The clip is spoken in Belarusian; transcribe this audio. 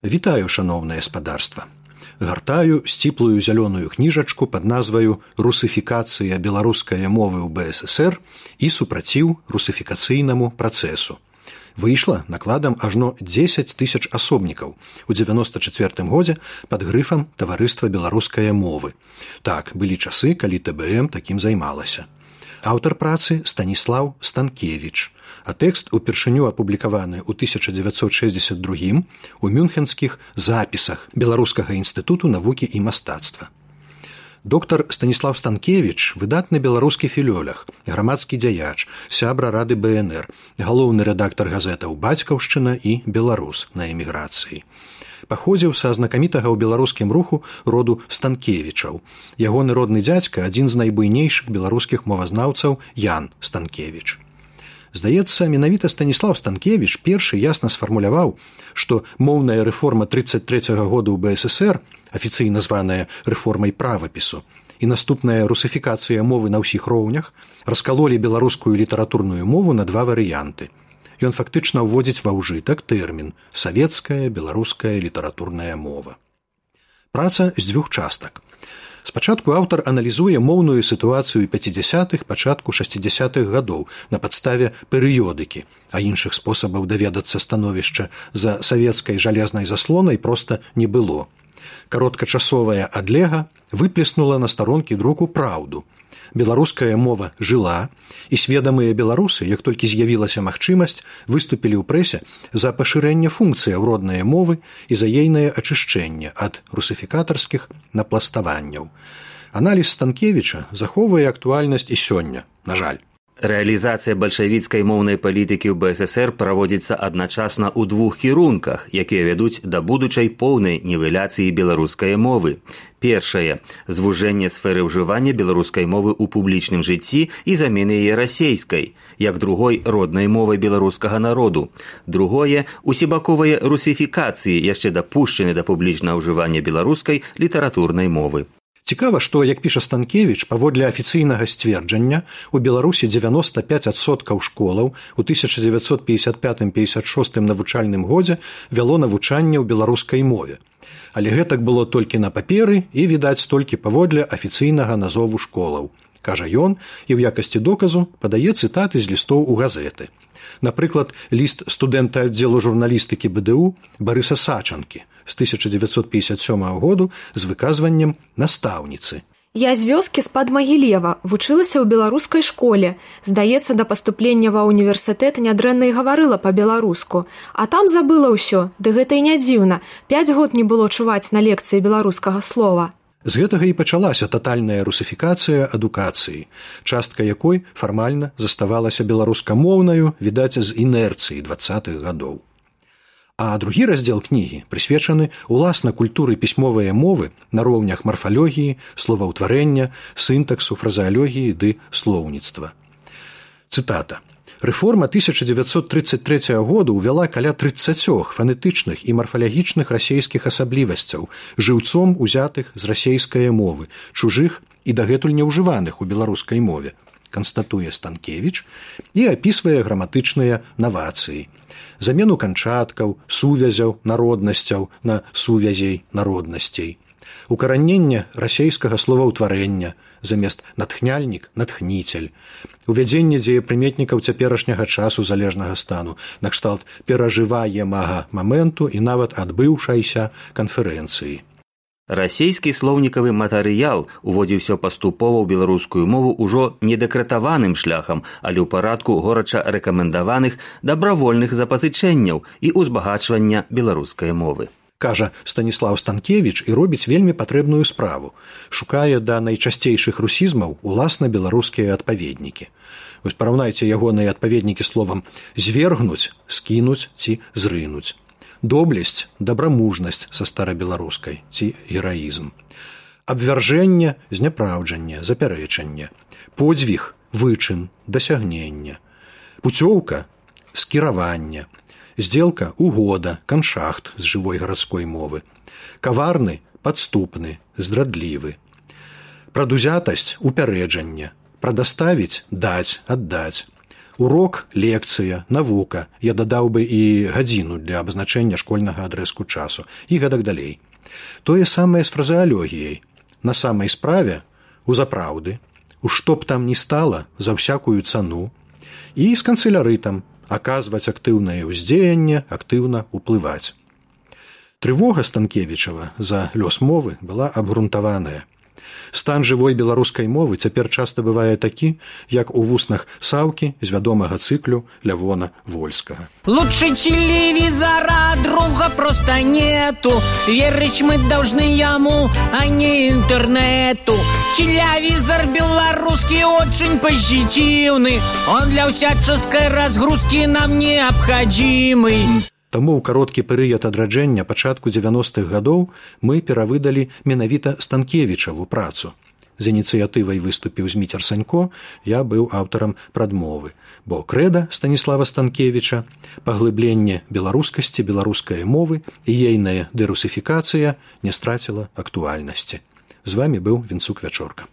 Вітаю, шаноўнае спадарства. Гартаю сціплую зялёную кніжачку пад назваю «Русыфікацыя беларускай мовы ў БССР і супраціў русыфікацыйнаму працэсу». Выйшла накладам ажно 10 000 асобнікаў у 94 годзе пад грыфам «Таварыства беларускае мовы». Так, былі часы, калі ТБМ такім займалася. Аўтар працы Станіслаў Станкевіч, а тэкст упершыню апублікаваны ў 1962 у мюнхенскіх запісах Беларускага інстытуту навукі і мастацтва. Доктар Станіслаў Станкевіч – выдатны беларускі філёлаг, грамадскі дзяяч, сябра Рады БНР, галоўны рэдактар газетаў «Бацькаўшчына» і «Беларус» на эміграцыі. Паходзіў са знакамітага ў беларускім руху роду Станкевічаў. Ягоны родны дзядзька – адзін з найбуйнейшых беларускіх мовазнаўцаў Ян Станкевіч. Здаецца, менавіта Станіслаў Станкевіч першы ясна сфармуляваў, што моўная рэформа 1933 года ў БССР, афіцыйна званая рэформай правапісу, і наступная русыфікацыя мовы на ўсіх роўнях раскалолі беларускую літаратурную мову на два варыянты. Ён фактычна ўводзіць ва ўжытак тэрмін «савецкая беларуская літаратурная мова». Праца з двух частак. Спачатку аўтар аналізуе моўную сітуацыю 50-х, пачатку 60-х гадоў на падставе перыёдыкі, а іншых спосабаў даведацца становішча за савецкай жалезнай заслонай проста не было. Кароткачасовая адлега выплеснула на старонкі друку праўду. Беларуская мова жыла, і сведамыя беларусы, як толькі з'явілася магчымасць, выступілі ў прэсе за пашырэнне функцыяў роднае мовы і за ейнае ачышчэнне ад русыфікатарскіх напластаванняў. Аналіз Станкевіча захоўвае актуальнасць і сёння, на жаль. Рэалізацыя бальшавіцкай моўнай палітыкі ў БССР праводзіцца адначасна ў двух кірунках, якія вядуць да будучай поўнай нівеляцыі беларускай мовы. Першае – звужэнне сферы ўжывання беларускай мовы ў публічным жыцці і замены яе расейскай, як другой роднай мовай беларускага народу. Другое – усебаковыя русіфікацыі, яшчэ дапушчаны да публічнага ўжывання беларускай літаратурнай мовы. Цікава, што, як піша Станкевіч, паводле афіцыйнага сцверджання, у Беларусі 95% школаў у 1955-56 навучальным годзе вяло навучанне ў беларускай мове. Але гэтак было толькі на паперы і, відаць, толькі паводле афіцыйнага назову школаў. Кажа ён, і ў якасці доказу падае цытаты з лістоў у газеты. Напрыклад, ліст студэнта аддзелу журналістыкі БДУ Барыса Сачанкі з 1957 году з выказваннем настаўніцы. Я з вёскі з-пад Магілева вучылася ў беларускай школе. Здаецца, да паступлення ва ўніверсітэт нядрэнна і гаварыла па-беларуску. А там забыла ўсё, ды гэта і не дзіўна. 5 год не было чуваць на лекцыі беларускага слова. З гэтага і пачалася татальная русіфікацыя адукацыі, частка якой фармальна заставалася беларускамоўнаю, відаць, з інерцыі 20-х гадоў. А другі раздзел кнігі прысвечаны уласна культуры пісьмовай мовы на роўнях марфалогіі, словаўтварэння, сінтаксу, фразеалогіі ды слоўніцтва. Цытата. Рэформа 1933 года ўвяла каля 30 фанетычных і марфалагічных расейскіх асаблівасцяў, жыўцом узятых з расейскай мовы, чужых і дагэтуль неўжываных у беларускай мове, канстатуе Станкевіч і апісвае граматычныя навацыі. Замену канчаткаў, сувязяў, народнасцяў на сувязей народнасцей. Укараненне расейскага словаўтварэння, замест натхняльнік – натхніцель. Увядзенне дзеепрыметнікаў цяперашняга часу залежнага стану, накшталт перажываемага моменту і нават адбыўшайся канферэнцыі. Расейскі слоўнікавы матэрыял уводзіўся паступова ў беларускую мову ўжо не дэкрэтаваным шляхам, але ў парадку горача рэкамендаваных дабравольных запазычэнняў і ўзбагачвання беларускай мовы. Кажа Станіслаў Станкевіч і робіць вельмі патрэбную справу. Шукае да найчасцейшых русізмаў уласна беларускія адпаведнікі. Вось параўнайце ягоныя адпаведнікі словам «звергнуць», «скінуць» ці «зрынуць». Доблесць, дабрамужнасць са старабеларускай ці гераізм. Абвяржэнне, зняпраўджанне, запярэчанне. Подзвіг, вычын, дасягнення. Пуцёўка, скіраванне. Здзелка, угода, каншахт з жывой гарадской мовы. Каварны, падступны, здрадлівы. Прадузятасць, упярэджанне. Прадаставіць, даць, аддаць. Урок, лекцыя, навука, я дадаў бы і гадзіну для абазначэння школьнага адрэзку часу і гэтак далей. Тое самае з фразеалогіяй. На самай справе, у запраўды, у што б там ні стала, за ўсякую цану, і з канцылярытам, аказваць актыўнае ўздзеянне, актыўна ўплываць. Трывога Станкевічава за лёс мовы была абгрунтаваная. Стан жывой беларускай мовы цяпер часта бывае такі, як у вуснах Саўкі з вядомага цыклю Лявона Вольскага. Лучше телевизора, друга просто нету. Верить мы должны ему, а не интернету. Телевизор белорусский очень позитивный. Он для всяческой разгрузки нам необходимый. Таму ў кароткі перыяд адраджэння пачатку 90-х гадоў мы перавыдалі менавіта Станкевічаву працу. З ініцыятывай выступіў Зміцер Санько, я быў аўтарам прадмовы, бо крэда Станіслава Станкевіча, паглыбленне беларускасці, беларускай мовы і ейная дэрусіфікацыя не страціла актуальнасці. З вамі быў Вінцук Вячорка.